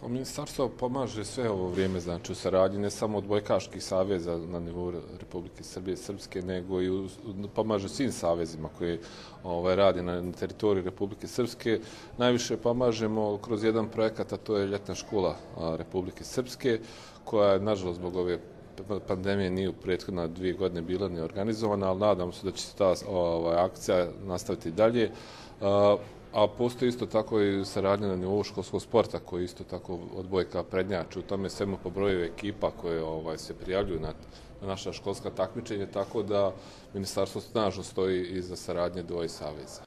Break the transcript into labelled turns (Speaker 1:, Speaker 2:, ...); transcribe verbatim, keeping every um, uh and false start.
Speaker 1: Pa ministarstvo pomaže sve ovo vrijeme, znači u saradnji ne samo odbojkaških saveza na nivou Republike Srbije i Srpske, nego i u, pomaže svim savezima koji ovaj, radi na, na teritoriji Republike Srpske. Najviše pomažemo kroz jedan projekat, a to je ljetna škola a, Republike Srpske, koja je, nažalost, zbog ove pandemije nije u prethodna dvije godine bila ni organizovana, ali nadam se da će se ta ovaj, akcija nastaviti dalje. A, a postoji isto tako i saradnja na nivou školskog sporta koji isto tako odbojka prednjači. U tome svemu po broju ekipa koje ovaj, se prijavljuju na, na naša školska takmičenja, tako da ministarstvo snažno stoji iza saradnje dvoje saveza.